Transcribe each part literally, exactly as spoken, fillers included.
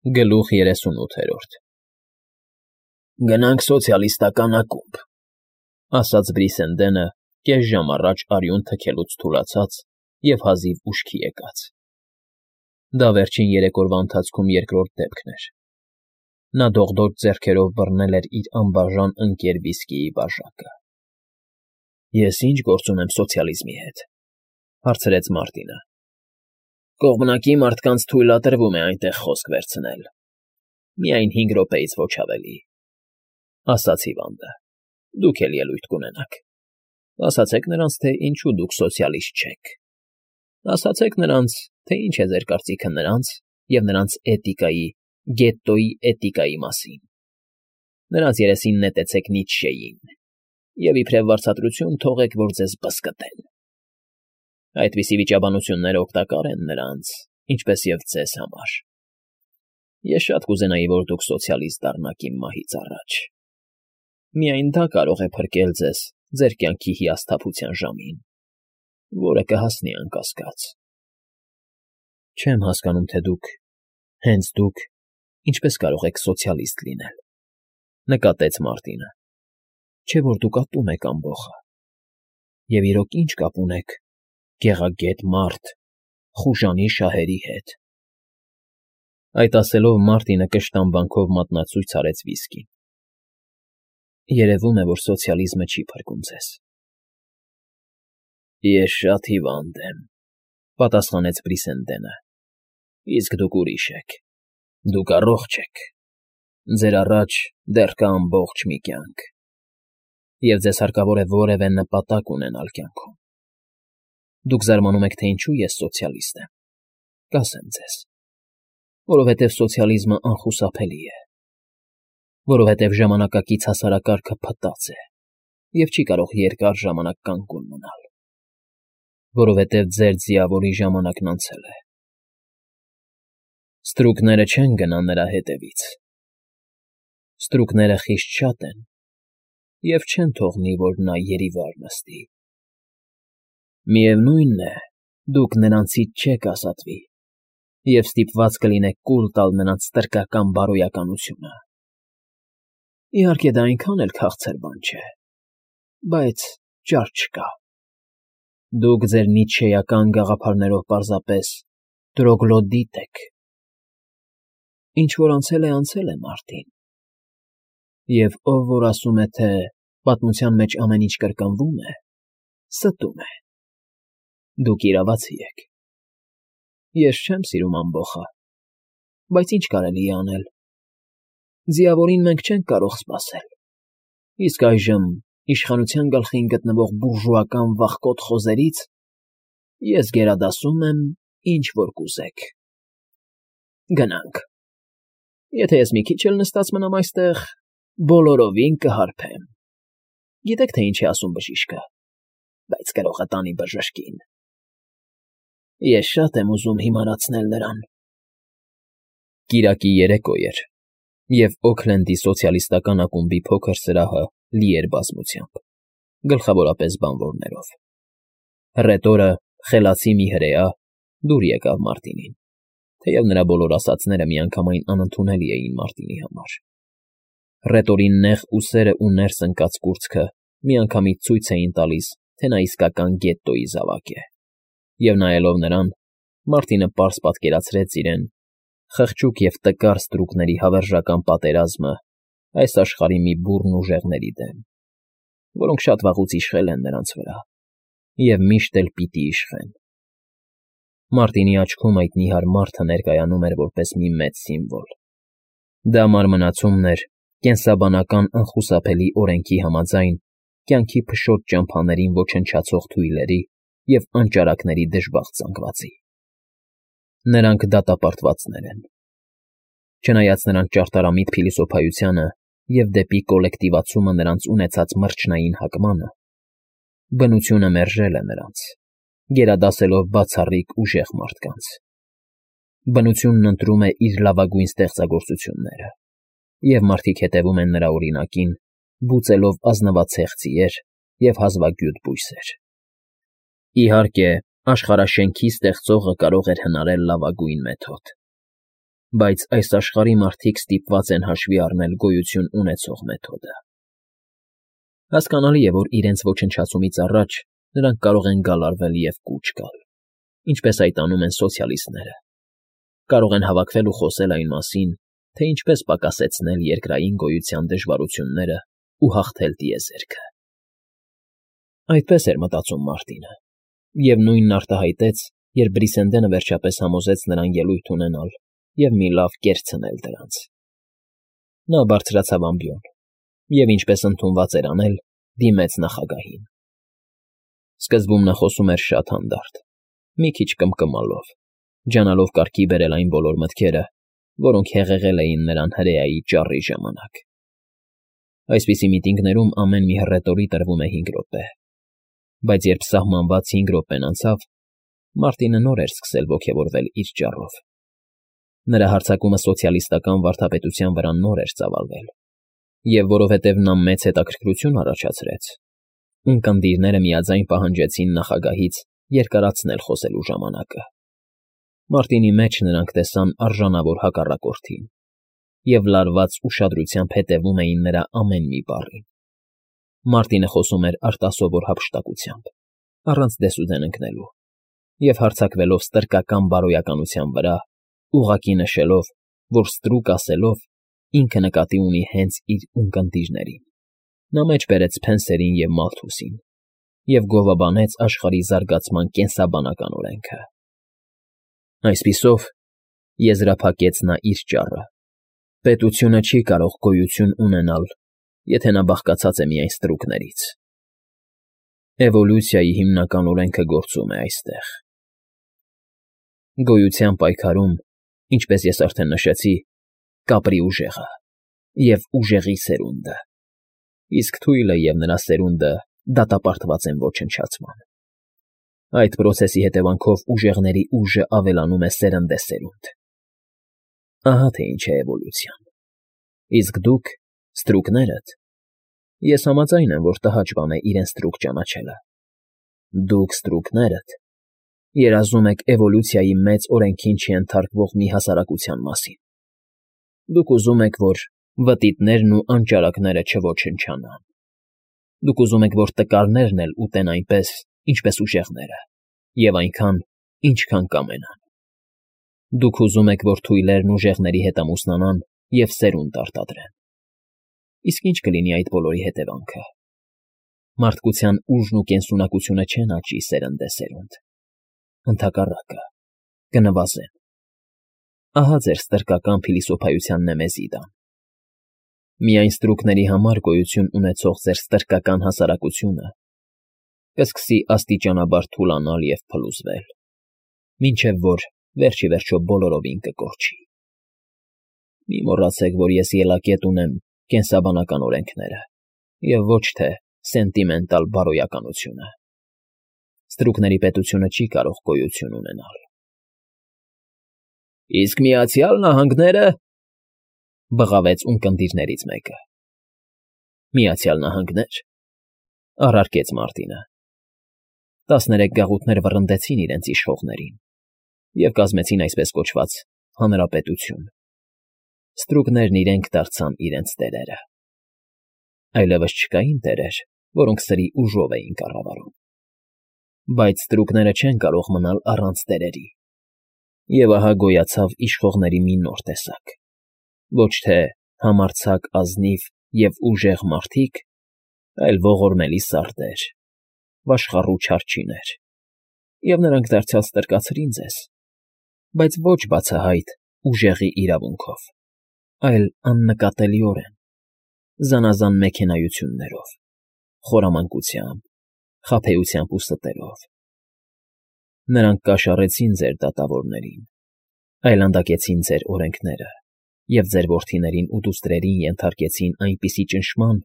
Գլուխ երեսունութերորդ Գնանք սոցիալիստական ակումբ, ասաց Բրիսենդենը կես ժամ առաջ արյուն թքելուց թուլացած և հազիվ ուշքի եկած. դա վերջին երեք օրվա ընթացքում երկրորդ դեպքն էր. նա դողդոջ ձեռքերով բռնել էր իր անբաժան ընկեր վիսկիի բաժակը։ ֊ Ես ի՞նչ գործ ունեմ սոցիալիզմի հետ,֊ հարցրեց Մարտինը։ Կողմնակի մարդկանց թույլատրվում է այնտեղ խոսք վերցնել, միայն հինգ րոպեից ոչ ավելի,֊ ասաց հիվանդը։ Դուք էլ ելույթ կունենաք։ Ասացեք նրանց, թե ինչու դուք սոցիալիստ չեք։ Ասացեք նրանց, թե ինչ է ձեր կարծիքը նրանց և նրանց էտիկայի, գետտոյի էտիկայի մասին։ Նրանց երեսին նետեցեք Նիցշեին և իբրև վարձատրություն թողեք, որ ձեզ բզկտեն։ Այդպիսի վիճաբանությունները օգտակար են նրանց, ինչպես և ձեզ համար։ Ես շատ կուզենայի, որ դուք սոցիալիստ դառնաք իմ մահից առաջ։ Միայն դա կարող է փրկել ձեզ ձեր կյանքի հիասթափության ժամին, որը կհասնի անկասկած։ Չեմ հասկանում, թե դուք, հենց դուք, ինչպես կարող եք սոցիալիստ լինել,֊ նկատեց Մարտինը։ Չէ՞ որ դուք ատում եք ամբոխը։ Եվ իրոք ի՞նչ կապ ունեք գեղագետ մարդ խուժանի շահերի հետ։ Այդ ասելով Մարտինը կշտամբանքով մատնացույց արեց վիսկին։ Երևում է, որ սոցիալիզմը չի փրկում ձեզ։ Ես շատ հիվանդ եմ,֊ պատասխանեց Բրիսենդենը։ Իսկ դուք ուրիշ եք։ Դուք առողջ եք։ Ձեր առաջ դեռ կա ամբողջ մի կյանք, և ձեզ հարկավոր է որևէ նպատակ ունենալ կյանքում։ Դուք զարմանում եք, թե ինչու ես սոցիալիստ եմ։ Կասեմ ձեզ. որովհետև սոցիալիզմը անխուսափելի է, որովհետև ժամանակակից հասարակարգը փտած է և չի կարող երկար ժամանակ կանգուն մնալ, որովհետև ձեր ձիավորի ժամանակն անցել է։ Ստրուկները չեն գնա նրա հետևից։ Ստրուկները խիստ շատ են և չեն թողնի, որ նա երիվար նստի։ Միևնույն է, դուք նրանցից չեք ազատվի և ստիպված կլինեք կուլ տալ նրանց ստրկական բարոյականությունը։ Իհարկե, դա այնքան էլ քաղցր բան չէ, բայց ճար չկա։ Դուք ձեր նիցշեական գաղափարներով պարզապես տրոգլոդիտ եք։ Ինչ որ անցել է, անցել է, Մարտին, և ով որ ասում է, թե պատմության մեջ ամեն ինչ կրկնվում է, ստում է։ Դուք իրավացի եք։ Ես չեմ սիրում ամբոխը, բայց ինչ կարելի է անել։ Ձիավորին մենք չենք կարող սպասել, իսկ այժմ իշխանության գլխին գտնվող բուրժուական վախկոտ խոզերից ես գերադասում եմ, ինչ որ կուզեք։ Գնանք։ Եթե ես մի քիչ էլ նստած մնամ այստեղ, բոլորովին կհարբեմ։ Գիտեք, թե ինչ է ասում բժիշկը, բայց կրողը տանի բժշկին։ Ես շատ եմ ուզում հիմարացնել նրան։ Կիրակի երեկո էր, և Օքլենդի սոցիալիստական ակումբի փոքր սրահը լի էր բազմությամբ, գլխավորապես բանվորներով։ Հռետորը, խելացի մի հրեա, դուր եկավ Մարտինին, թեև նրա բոլոր ասածները միանգամայն անընդունելի էին Մարտինի համար։ Հռետորի նեղ ուսերն ու ներս ընկած կուրծքը միանգամից ցույց էին տալիս, թե նա իսկական գետտոյի զավակ է, և նայելով նրան, Մարտինը պարզ պատկերացրեց իրեն խղճուկ և տկար ստրուկների հավերժական պատերազմը այս աշխարհի մի բուռն ուժեղների դեմ, որոնք շատ վաղուց իշխել են նրանց վրա և միշտ էլ պիտի իշխեն։ Մարտինի աչքում այդ նիհար մարդը ներկայանում էր որպես մի մեծ սիմվոլ։ Դա մարմնացումն էր կենսաբանական անխուսափելի օրենքի համաձայն կյանքի փշոտ ճամփաներին ոչնչացող թույլերի և անճարակների դժբախտ զանգվածի։ Նրանք դատապարտվածներ են։ Չնայած նրանց ճարտարամիտ փիլիսոփայությանը և դեպի կոլեկտիվացումը նրանց ունեցած մրջնային հակմանը, բնությունը մերժել է նրանց, գերադասելով բացառիկ ուժեղ մարդկանց։ Բնությունն ընտրում է իր լավագույն ստեղծագործությունները, և մարդիկ հետևում են նրա օրինակին, բուծելով ազնվացեղ ձիեր և հազվագյուտ բույսեր։ Իհարկե, աշխարհաշենքի ստեղծողը կարող էր հնարել լավագույն մեթոդ, Բայց այս աշխարհի մարդիկ ստիպված են հաշվի առնել գոյություն ունեցող մեթոդը։ Հասկանալի է, որ իրենց ոչնչացումից առաջ նրանք կարող են գալարվել և կուչ գալ, ինչպես այդ անում են սոցիալիստները, կարող են հավաքվել ու խոսել այն մասին, թե ինչպես պակասեցնել երկրային գոյության դժվարությունները ու հաղթել տիեզերքը։ Այդպես էր մտածում Մարտինը, և նույնն արտահայտեց, երբ Բրիսենդենը վերջապես համոզեց նրան ելույթ ունենալ և մի լավ կերս ցնել դրանց։ Նա բարձրացավ ամբիոն և, ինչպես ընդունված էր անել, դիմեց նախագահին։ Սկզբում նա խոսում էր շատ հանդարտ, մի քիչ կմկմալով, ջանալով կարգի բերել այն բոլոր մտքերը, որոնք հեղեղել էին նրան հրեայի ճառի ժամանակ։ Այսպիսի միտինգներում ամեն մի հռետորի տրվում է հինգ րոպե, բայց երբ սահմանված հինգ րոպեն անցավ, Մարտինը նոր էր սկսել ոգևորվել իր ճառով։ Նրա հարձակումը սոցիալիստական վարդապետության վրա նոր էր ծավալվել, և որովհետև նա մեծ հետաքրքրություն առաջացրեց, ունկնդիրները միաձայն պահանջեցին նախագահից երկարացնել խոսելու ժամանակը։ Մարտինի մեջ նրանք տեսան արժանավոր հակառակորդին և լարված ուշադրությամբ հետևում էին նրա ամեն մի բառին։ Մարտինը խոսում էր արտասովոր հափշտակությամբ, առանց դեսուդեն ընկնելու, և հարձակվելով ստրկական բարոյականության վրա, ուղղակի նշելով, որ ստրուկ ասելով ինքը նկատի ունի հենց իր ունկնդիրներին։ Նա մեջ բերեց Սփենսերին և Մալթուսին և գովաբանեց աշխարհի զարգացման կենսաբանական օրենքը։ Այսպիսով, եզրափակեց նա իր ճառը, պետությունը չի կարող գոյություն ունենալ, եթե նա բաղկացած է միայն ստրուկներից։ Էվոլյուցիայի հիմնական օրենքը գործում է այստեղ։ Գոյության պայքարում, ինչպես ես արդեն նշեցի, կապրի ուժեղը և ուժեղի սերունդը, իսկ թույլը և նրա սերունդը դատապարտված են ոչնչացման։ Այդ պրոցեսի հետևանքով ուժեղների ուժը ավելանում է սերնդեսերունդ։ Ահա թե ինչ է էվոլյուցիան։ Իսկ դուք, ստրուկներդ, ես համաձայն եմ, որ տհաճ բան է իրեն ստրուկ ճանաչելը։ Դուք, ստրուկներդ, երազում եք էվոլյուցիայի մեծ օրենքին չենթարկվող մի հասարակության մասին։ Դուք ուզում եք, որ վտիտներն ու անճարակները չոչնչանան։ Դուք ուզում եք, որ տկարներն էլ ուտեն այնպես, ինչպես ուժեղները, և այնքան, ինչքան կամենան։ Դուք ուզում եք, որ թույլերն ուժեղների հետ ամուսնանան և սերունդ արտադրեն։ Իսկ ի՞նչ կլինի այդ բոլորի հետևանքը։ Մարդկության ուժն ու կենսունակությունը չեն աճի սերնդեսերունդ։ Ընդհակառակը, կնվազեն։ Ահա ձեր ստրկական փիլիսոփայության նեմեզիդան։ Միայն ստրուկների համար գոյություն ունեցող ձեր ստրկական հասարակությունը կսկսի աստիճանաբար թուլանալ և փլուզվել, մինչև որ վերջ ի վերջո բոլորովին կկորչի։ Մի մոռացեք, որ ես ելակետ ունեմ կենսաբանական օրենքները և ոչ թե սենտիմենտալ բարոյականությունը։ Ստրուկների պետությունը չի կարող գոյություն ունենալ։ Իսկ Միացյալ Նահանգները,֊ բղավեց ունկնդիրներից մեկը։ Միացյալ Նահանգնե՞ր,֊ առարկեց Մարտինը։ Տասներեք գաղութներ վռնդեցին իրենց իշխողներին և կազմեցին այսպես կոչված հանրապետություն։ Ստրուկներն իրենք դարձան իրենց տերերը։ Այլևս չկային տերեր, որոնք սրի ուժով էին կառավարում։ Բայց ստրուկները չեն կարող մնալ առանց տերերի։ Եվ ահա գոյացավ իշխողների մի նոր տեսակ։ Ոչ թե համարձակ, ազնիվ և ուժեղ մարդիկ, այլ ողորմելի սարդեր, վաշխառու չարչիներ, և նրանք դարձյալ ստրկացրին ձեզ, բայց ոչ բացահայտ ուժեղի իրավունքով, այլ աննկատելիորեն, զանազան մեքենայություններով, խորամանկությամբ, խաբեությամբ ու ստերով։ Նրանք կաշառեցին ձեր դատավորներին, այլանդակեցին ձեր օրենքները և ձեր որդիներին ու դուստրերին ենթարկեցին այնպիսի ճնշման,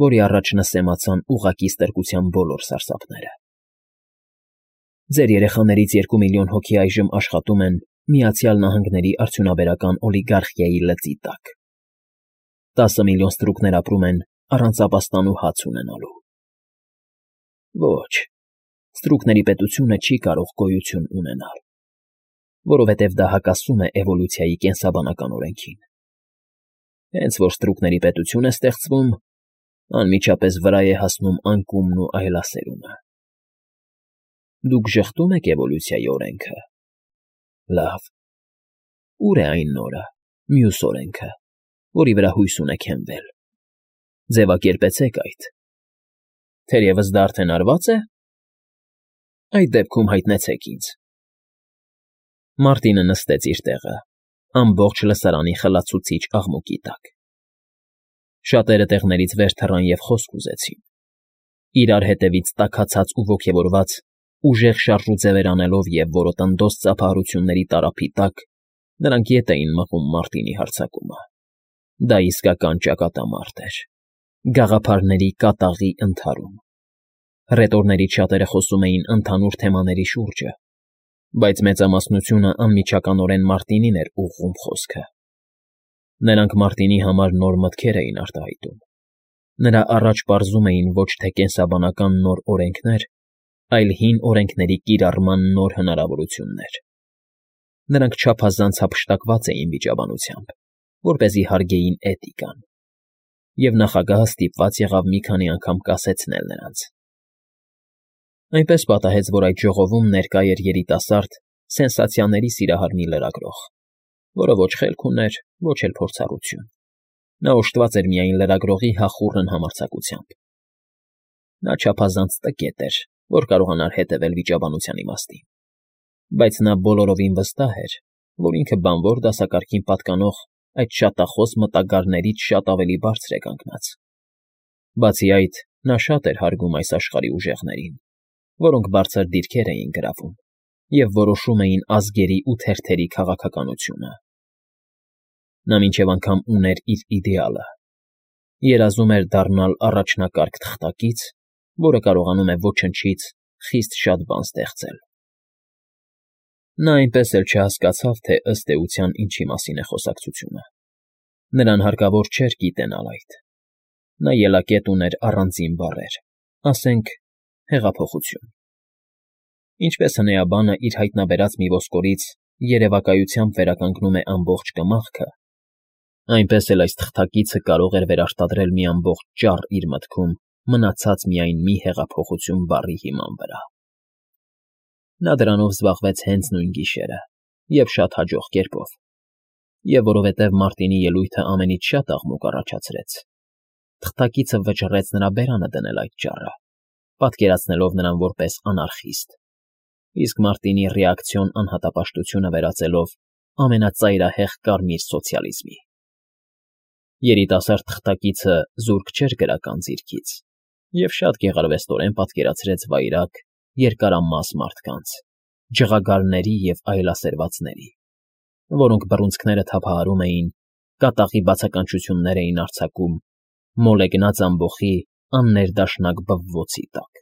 որի առաջ նսեմացան ուղղակի ստրկության բոլոր սարսափները։ Ձեր երեխաներից երկու միլիոն հոգի այժմ աշխատում են Միացյալ Նահանգների արդյունաբերական օլիգարխիայի լծի տակ։ Տասը միլիոն ստրուկներ ապրում են առանց ապաստան ու հաց ունենալու։ Ոչ, ստրուկների պետությունը չի կարող գոյություն ունենալ։ որովհետև դա հակասում է էվոլյուցիայի կենսաբանական օրենքին։ Հենց որ ստրուկների պետություն է ստեղծվում, անմիջապես վրա է հասնում անկումն ու այլասերումը։ Դուք ժխտում եք էվոլյուցիայի օրենքը։ Լավ։ Ուր է այն նորը, մյուս օրենքը, որի վրա հույս ունեք հենվել։ Ձևակերպեցեք այդ։ Թերևս դա արդեն արվա՞ծ է։ Այդ դեպքում հայտնեցեք ինձ։ Մարտինը նստեց իր տեղը, ամբողջ լսարանի խլացուցիչ աղմուկի տակ։ Շատերը տեղներից վեր թռան և խոսք ուզեցին։ Իրար հետևից տաքացած ու ոգևորված, ուժեղ շարժուձևեր անելով և որոտնդոց ծափահարությունների տարափի տակ, նրանք ետ էին մղում Մարտինի հարձակումը։ Դա իսկական ճակատամարտ էր, գաղափարների կատաղի ընդհարում։ Հռետորներից շատերը խոսում էին ընդհանուր թեմաների շուրջը, բայց մեծամասնությունը անմիջականորեն Մարտինին էր ուղղում խոսքը։ Նրանք Մարտինի համար նոր մտքեր էին արտահայտում։ Նրա առաջ պարզում էին ոչ թե կենսաբանական նոր օրենքներ, այլ հին օրենքների կիրառման նոր հնարավորություններ։ Նրանք չափազանց հափշտակված էին վիճաբանությամբ, որպեսզի հարգեին էթիկան, և նախագահը ստիպված եղավ մի քանի անգամ կասեցնել նրանց։ Այնպես պատահեց, որ այդ ժողովում ներկա էր երիտասարդ, սենսացիաների սիրահար մի լրագրող, որը ոչ խելք ուներ, ոչ էլ փորձառություն։ Նա օժտված էր միայն լրագրողի հախուռն համարձակությամբ։ Նա չափազանց տկետ էր, որ կարողանար հետևել վիճաբանության իմաստին, բայց նա բոլորովին վստահ էր, որ ինքը բանվոր դասակարգին պատկանող այդ շատախոս մտագարներից շատ ավելի բարձր է կանգնած։ Բացի այդ, նա շատ էր հարգում այս աշխարհի ուժեղներին, որոնք բարձր դիրքեր էին գրավում և որոշում էին ազգերի ու թերթերի քաղաքականությունը։ Նա մինչև անգամ ուներ իր իդեալը, երազում էր դառնալ առաջնակարգ թղթակից, որը կարողանում է ոչնչից խիստ շատ բան ստեղծել։ Նա այնպես էլ չհասկացավ, թե ըստ էության ինչի մասին է խոսակցությունը։ Նրան հարկավոր չէր գիտենալ այդ։ Նա ելակետ ուներ առանձին բառեր, ասենք, հեղափոխություն։ Ինչպես հնեաբանը իր հայտնաբերած մի ոսկորից երևակայությամբ վերականգնում է ամբողջ կմախքը, այնպես էլ այս թղթակիցը կարող էր վերարտադրել մի ամբողջ ճառ իր մտքում մնացած միայն մի հեղափոխություն բառի հիման վրա։ Նա դրանով զբաղվեց հենց նույն գիշերը և շատ հաջող կերպով, և որովհետև Մարտինի ելույթը ամենից շատ աղմուկ առաջացրեց, թղթակիցը վճռեց նրա բերանը դնել այդ ճառը, պատկերացնելով նրան որպես անարխիստ, իսկ Մարտինի ռեակցիոն անհատապաշտությունը վերածելով ամենածայրահեղ կարմիր սոցիալիզմի։ Երիտասարդ թղթակիցը զուրկ չէր գրական ձիրքից և շատ գեղարվեստորեն պատկերացրեց վայրագ, երկարամաս մարդկանց, ջղագարների և այլասերվածների, որոնք բռունցքները թափահարում էին, կատաղի բացականչություններ էին արձակում, մոլեգնած ամբոխի աններդաշնակ բվոցի տակ։